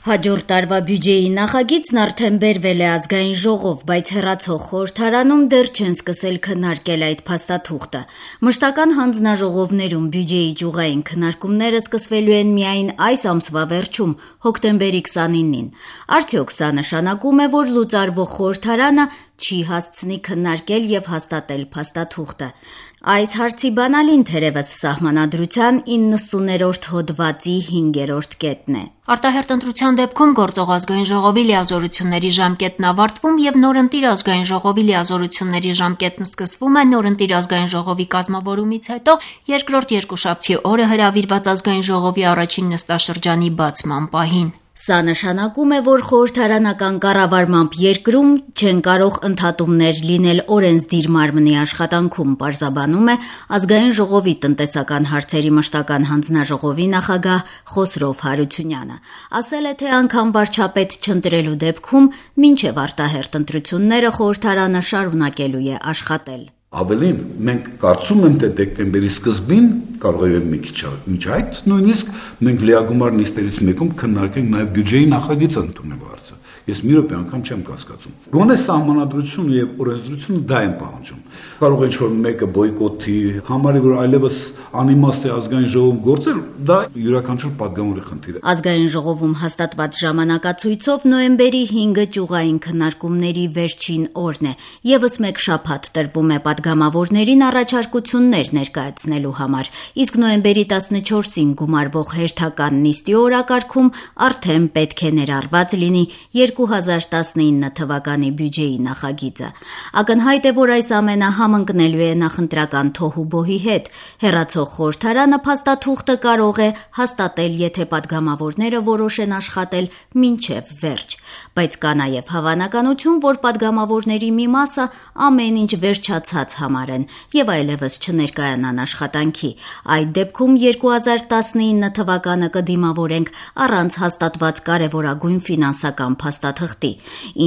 Հաջորդ տարվա բյուջեի նախագիծն արդեն բերվել է ազգային ժողով, բայց հեռացող խորհրդարանում դեռ չեն սկսել քննարկել այդ փաստաթուղթը։ Մշտական հանձնաժողովներում բյուջեի ճյուղային քննարկումները սկսվելու են միայն այս ամսվա վերջում, հոկտեմբերի 29-ին։ Արդյոք սա նշանակում է, որ լուծարվող խորհրդարանը չի հասցնի քննարկել եւ հաստատել փաստաթուղթը։ Այս հարցի բանալին թերևս Սահմանադրության 90-րդ հոդվածի 5-րդ կետն է։ Արտահերթ ընտրության դեպքում գործող ազգային ժողովի լիազորությունների ժամկետն ավարտվում եւ նորընտիր ազգային ժողովի լիազորությունների ժամկետն սկսվում է նորընտիր ազգային ժողովի կազմավորումից հետո երկրորդ երկուշաբթի օրը հրավիրված ազգային ժողովի առաջին նստաշրջանի բացման պահին։ Սա նշանակում է, որ խորհրդարանական կառավարմամբ երկրում չեն կարող ընդհատումներ լինել օրենսդիր մարմնի աշխատանքում, պարզաբանում է ազգային ժողովի տնտեսական հարցերի մշտական հանձնաժողովի նախագահ Խոսրով Հարությունյանը։ Ասել է, թե անգամ վարչապետ չընտրելու դեպքում մինչև արտահերթ ընտրությունները խորհրդարանը շարունակելու է աշխատել։ Ավելին, մենք կարծում եմ, թե դեկտեմբերի սկզբին կարող է մի քիչ մինչ այդ նույնիսկ մենք լիագումար նիստերից մեկում քննարկենք նաև բյուջեի նախագիծը ընդունելու հարցը։ Ես մի րոպե անգամ չեմ կասկածում։ Գոնե Սահմանադրությունը եւ օրենսդրությունը դա են պահանջում։ Կարող է ինչ-որ մեկը բոյկոտի, համարի, որ այլևս անիմաստ է ազգային ժողովում գործել, դա յուրաքանչյուր պատգամավորի խնդիր է։ Ազգային ժողովում հաստատված ժամանակացույցով նոյեմբերի 5-ը ճյուղային քննարկումների վերջին օրն է։ Եվս մեկ շաբաթ տրվում է պատգամավորներին առաջարկություններ ներկայացնելու համար, իսկ նոյեմբերի 14-ին գումարվող հերթական նիստի օրակարգում արդեն պետք է ներառված լինի 2019 թվականի բյուջեի նախագիծը։ Ակնհայտ է, որ այս ամենը համընկնելու է նախընտրական թոհուբոհի հետ։ Հեռացող խորհրդարանը փաստաթուղթը կարող է հաստատել, եթե պատգամավորները որոշեն աշխատել մինչև վերջ։ Բայց կա նաև հավանականություն, որ պատգամավորների մի մասը ամեն ինչ վերջացած համարեն եւ այլևս չներկայանան աշխատանքի։ Այդ դեպքում 2019 թվականը կդիմավորենք առանց հաստատված կարևորագույն ֆինանսական փաստաթղթի։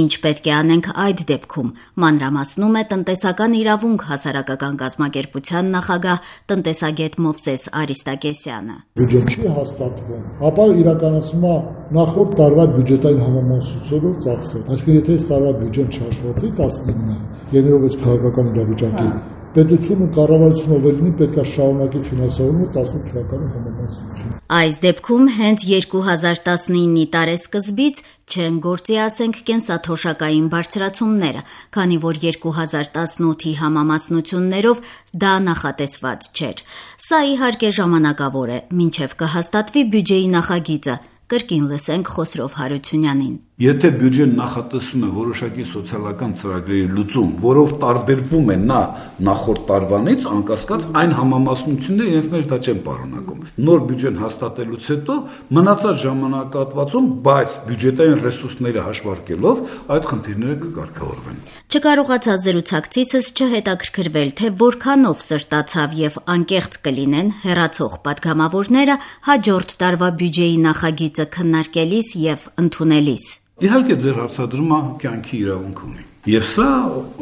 Ինչ պետք է անենք այդ դեպքում, մանրամասնում է տնտեսական իրավունք հասարակական կազմակերպության նախագահ տնտեսագետ Մովսես Արիստակեսյանը։ Բյուջեն չի հաստատվում, ապա իրականացվում է նախորդ տարվա բյուջետային համամասնությունով ծախսել։ Այսինքն եթե այս տարվա բյուջեն չհաշվառվի 19-ը, ելնելով այս քաղաքական իրավիճակի, պետությունը կառավարությունը վերնի պետք է շարունակի ֆինանսավորումը 18 թվականի համամասնություն։ Այս դեպքում հենց 2019-ի տարեսկզբից չեն գործի, ասենք, կենսաթոշակային բարձրացումները, քանի որ 2018-ի համամասնություններով դա նախատեսված չէր։ Սա իհարկե ժամանակավոր է, մինչև կհաստատվի բյուջեի նախագիծը, կրկին լսենք Խոսրով Հարությունյանին։ Եթե բյուջեն նախատեսում է որոշակի սոցիալական ծրագրերի լուծում, որով տարբերվում է նա նախորդ տարվանից, անկասկած այն համամասնությունները իրենց մեջ դա չեն պարունակում։ Նոր բյուջեն հաստատելուց հետո մնացած ժամանակահատվածում, բայց բյուջետային ռեսուրսները հաշվարկելով, այդ խնդիրները կկարգավորվեն։ Չկարողացա զրուցակցիցս չհետաքրքրվել, թե որքանով սրտացավ եւ անկեղծ կլինեն հեռացող պատգամավորները հաջորդ տարվա բյուջեի նախագիծը քննարկելիս եւ ընդունելիս։ Իհարկե ձեր հարցադրումը կյանքի իրավունք ունի։ Եվ սա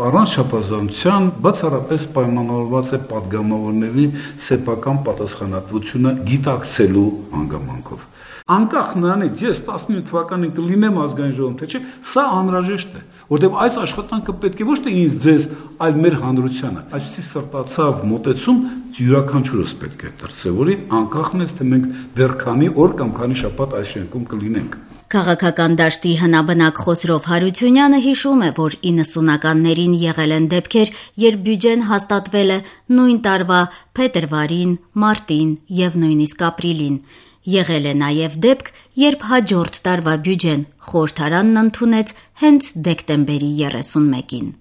առանց չափազանցության բացառապես պայմանավորված է պատգամավորների սեփական պատասխանատվությունը գիտակցելու հանգամանքով։ Անկախ նրանից ես 19 թվականին կլինեմ ազգային ժողովում, թե չէ, սա անհրաժեշտ է, որտեղ այս աշխատանքը պետք է ոչ թե ինձ ձեզ, այլ մեր հանրությանը։ Այսպիսի սրտացավ մոտեցում յուրաքանչյուրս պետք է դրսևորի, անկախ նրանից, թե մենք դեռ քանի օր կամ քանի շաբաթ այս շենքում կլինենք։ Քաղաքական դաշտի հնաբնակ Խոսրով Հարությունյանը հիշում է, որ 90-ականներին եղել են դեպքեր, երբ բյուջեն հաստատվել է նույն տարվա փետրվարին, մարտին եւ նույնիսկ ապրիլին։ Եղել է նաև դեպք, երբ հաջորդ տարվա բյուջեն խորհրդարանն ընդունեց հենց դեկտեմբերի 31-ին։